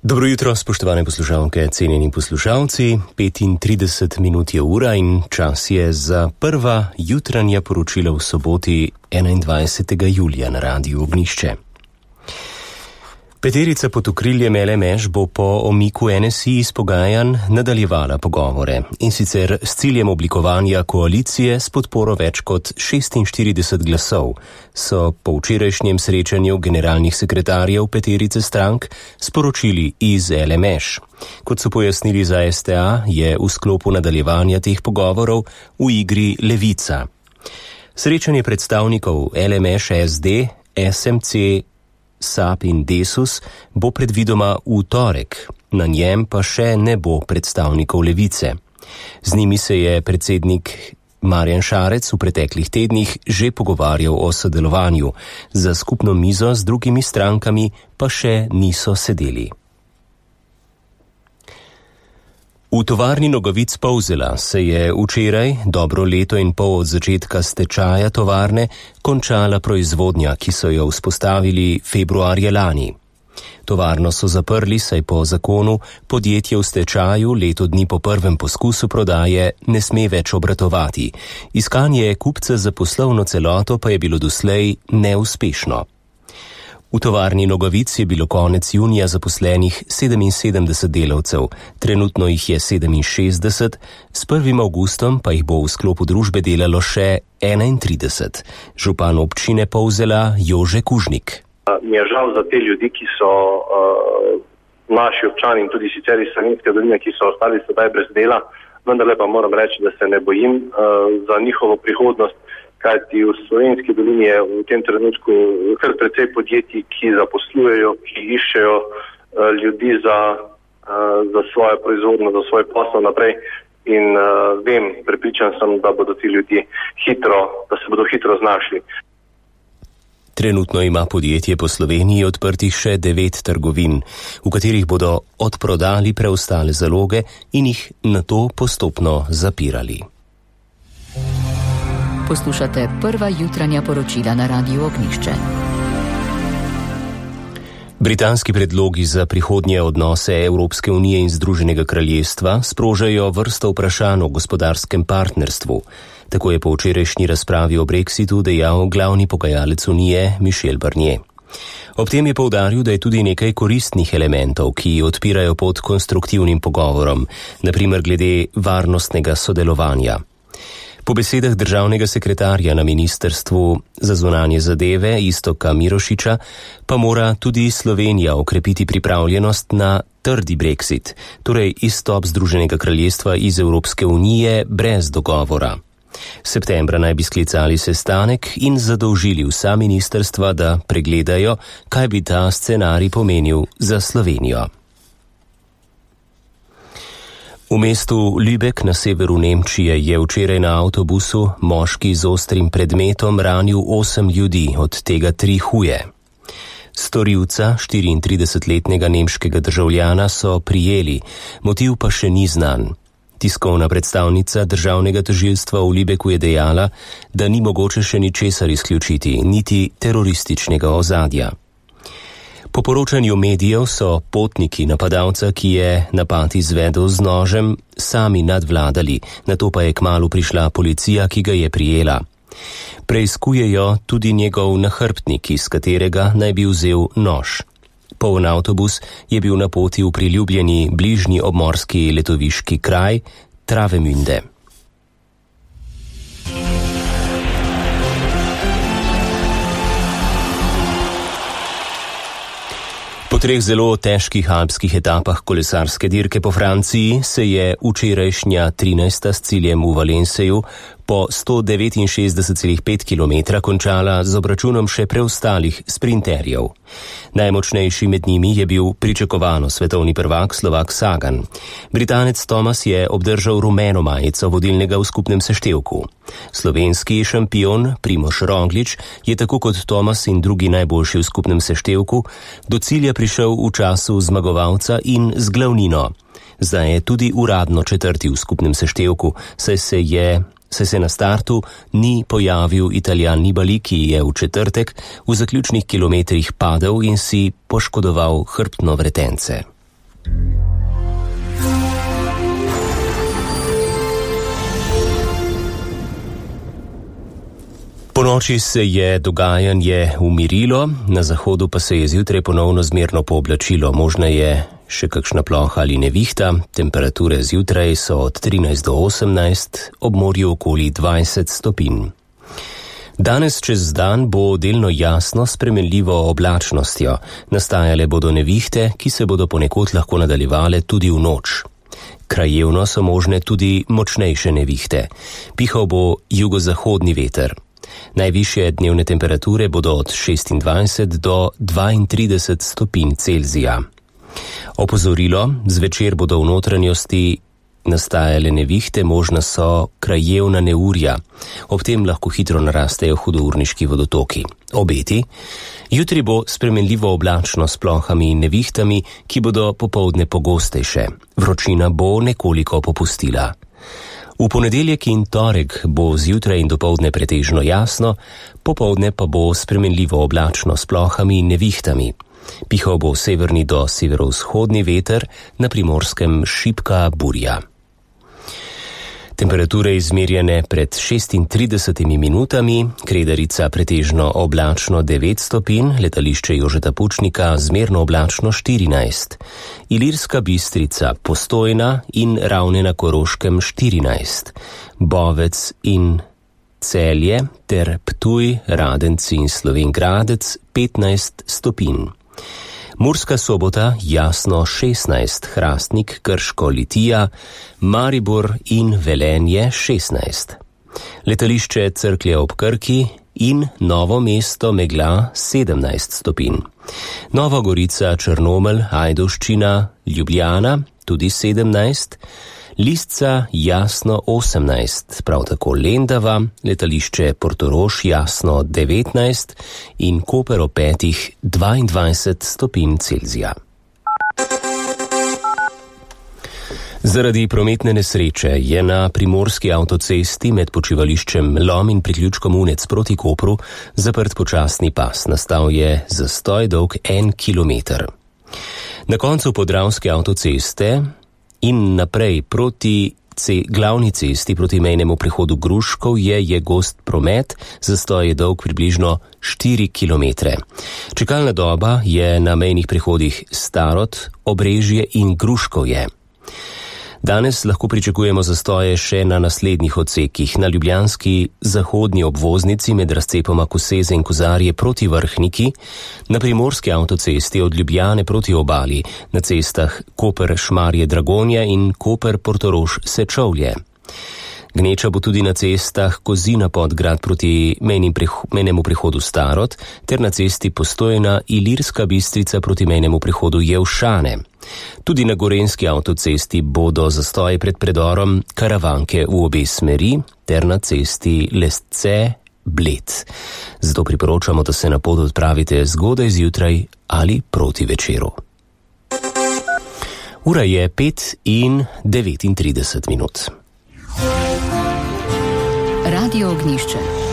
Dobro jutro, spoštovane poslušalke, cenjeni poslušalci. 35 minut je ura in čas je za prva jutranja poročila v soboti 21. julija na Radiu Ognjišče. Peterica pod okriljem LMŠ bo po omiku NSI iz pogajanj nadaljevala pogovore in sicer s ciljem oblikovanja koalicije s podporo več kot 46 glasov, so po včerajšnjem srečanju generalnih sekretarjev peterice strank sporočili iz LMŠ. Kot so pojasnili za STA, je v sklopu nadaljevanja teh pogovorov v igri Levica. Srečanje predstavnikov LMŠ, SD, SMC, SAP in Desus bo predvidoma v torek, na njem pa še ne bo predstavnikov Levice. Z njimi se je predsednik Marjan Šarec v preteklih tednih že pogovarjal o sodelovanju, za skupno mizo z drugimi strankami pa še niso sedeli. V tovarni Nogavic Polzela se je včeraj, dobro leto in pol od začetka stečaja tovarne, končala proizvodnja, ki so jo vzpostavili februarja lani. Tovarno so zaprli, saj po zakonu podjetje v stečaju leto dni po prvem poskusu prodaje ne sme več obratovati. Iskanje kupca za poslovno celoto pa je bilo doslej neuspešno. V tovarni Nogavic je bilo konec junija zaposlenih 77 delavcev, trenutno jih je 67, s 1. avgustom pa jih bo v sklopu družbe delalo še 31. Župan občine Polzela Jože Kužnik. Mi je žal za te ljudi, ki so naši občani in tudi sicer iz Savinjske doline, ki so ostali sedaj brez dela, vendar pa moram reči, da se ne bojim za njihovo prihodnost. Kajti v Slovenski dolini je v tem trenutku kar precej podjetij, ki zaposlujejo, ki iščejo ljudi za svojo proizvodnjo, za svoj posel naprej in prepričan sem, da bodo ti ljudje da se bodo hitro znašli. Trenutno ima podjetje po Sloveniji odprtih še 9 trgovin, v katerih bodo odprodali preostale zaloge in jih nato postopno zapirali. Poslušate prva jutranja poročila na Radiu Ognjišče. Britanski predlogi za prihodnje odnose Evropske unije in Združenega kraljestva sprožajo vrsto vprašanj o gospodarskem partnerstvu. Tako je po včerajšnji razpravi o Brexitu dejal glavni pogajalec unije Michel Barnier. Ob tem je poudaril, da je tudi nekaj koristnih elementov, ki odpirajo pot konstruktivnim pogovorom, na primer glede varnostnega sodelovanja. Po besedah državnega sekretarja na Ministrstvu za zunanje zadeve Iztoka Mirošiča pa mora tudi Slovenija okrepiti pripravljenost na trdi Brexit, torej izstop Združenega kraljestva iz Evropske unije brez dogovora. Septembra naj bi sklicali sestanek in zadolžili vsa ministrstva, da pregledajo, kaj bi ta scenarij pomenil za Slovenijo. V mestu Lübeck na severu Nemčije je včeraj na avtobusu moški z ostrim predmetom ranil 8 ljudi, od tega 3 huje. Storilca, 34-letnega nemškega državljana, so prijeli, motiv pa še ni znan. Tiskovna predstavnica državnega tožilstva v Lübecku je dejala, da ni mogoče še ničesar izključiti, niti terorističnega ozadja. Po poročanju medijev so potniki napadalca, ki je napad izvedel z nožem, sami nadvladali, nato pa je kmalu prišla policija, ki ga je prijela. Preiskujejo tudi njegov nahrbtnik, iz katerega naj bi vzel nož. Poln avtobus je bil na poti v priljubljeni bližnji obmorski letoviški kraj Travemünde. Po 3 zelo težkih alpskih etapah kolesarske dirke po Franciji se je včerajšnja 13. s ciljem v Valenseju po 169,5 km končala z obračunom še preostalih sprinterjev. Najmočnejši med njimi je bil pričakovano svetovni prvak Slovak Sagan. Britanec Thomas je obdržal rumeno majico vodilnega v skupnem seštevku. Slovenski šampion Primož Roglič je tako kot Thomas in drugi najboljši v skupnem seštevku do cilja prišel v času zmagovalca in z glavnino. Zdaj je tudi uradno 4. v skupnem seštevku, saj se na startu ni pojavil Italijan Nibali, ki je v četrtek v zaključnih kilometrih padel in si poškodoval hrbtno vretence. Po noči se je dogajanje umirilo, na zahodu pa se je zjutraj ponovno zmerno pooblačilo. Možna je še kakšna ploha ali nevihta, temperature zjutraj so od 13 do 18, ob morju okoli 20 stopinj. Danes čez dan bo delno jasno s spremenljivo oblačnostjo. Nastajale bodo nevihte, ki se bodo ponekod lahko nadaljevale tudi v noč. Krajevno so možne tudi močnejše nevihte. Pihal bo jugozahodni veter. Najvišje dnevne temperature bodo od 26 do 32 stopinj Celzija. Opozorilo, zvečer bodo v notranjosti nastajale nevihte, možna so krajevna neurja. Ob tem lahko hitro narastejo hudourniški vodotoki. Obeti, jutri bo spremenljivo oblačno s plohami in nevihtami, ki bodo popoldne pogostejše. Vročina bo nekoliko popustila. V ponedeljek in torek bo zjutraj in dopoldne pretežno jasno, popoldne pa bo spremenljivo oblačno s plohami in nevihtami. Pihal bo severni do severovzhodni veter, na Primorskem šibka burja. Temperature izmerjene pred 36 minutami, Kredarica pretežno oblačno 9 stopinj, letališče Jožeta Pučnika zmerno oblačno 14, Ilirska Bistrica, Postojna in Ravne na Koroškem 14, Bovec in Celje ter Ptuj, Radenci in Slovenj Gradec 15 stopinj. Murska Sobota jasno 16, Hrastnik, Krško, Litija, Maribor in Velenje 16. Letališče Cerklje ob Krki in Novo mesto megla 17 stopinj. Nova Gorica, Črnomelj, Ajdovščina, Ljubljana tudi 17, Lisca jasno 18, prav tako Lendava, letališče Portorož jasno 19 in Koper ob 22 stopinj Celzija. Zaradi prometne nesreče je na primorski avtocesti med počivališčem Lom in priključkom Unec proti Kopru zaprt počasni pas. Nastal je zastoj dolg 1 kilometer. Na koncu podravske avtoceste in naprej proti glavni cesti proti mejnemu prehodu Gruškov je gost promet, zastoj je dolg približno 4 kilometre. Čakalna doba je na mejnih prehodih Starod, Obrežje in Gruškovje. Danes lahko pričakujemo zastoje še na naslednjih odsekih. Na ljubljanski zahodni obvoznici med razcepoma Koseze in Kozarje proti Vrhniki, na primorski avtocesti od Ljubljane proti obali, na cestah Koper-Šmarje-Dragonja in Koper-Portorož-Sečovlje. Gneča bo tudi na cestah Kozina-Podgrad proti mejnemu prehodu Starod ter na cesti Postojna-Ilirska Bistrica proti mejnemu prehodu Jevšane. Tudi na gorenjski avtocesti bodo zastoji pred predorom Karavanke v obe smeri ter na cesti Lesce-Bled. Zato priporočamo, da se na pot odpravite zgodaj zjutraj ali proti večeru. Ura je 5:39. Radio Ognjišče.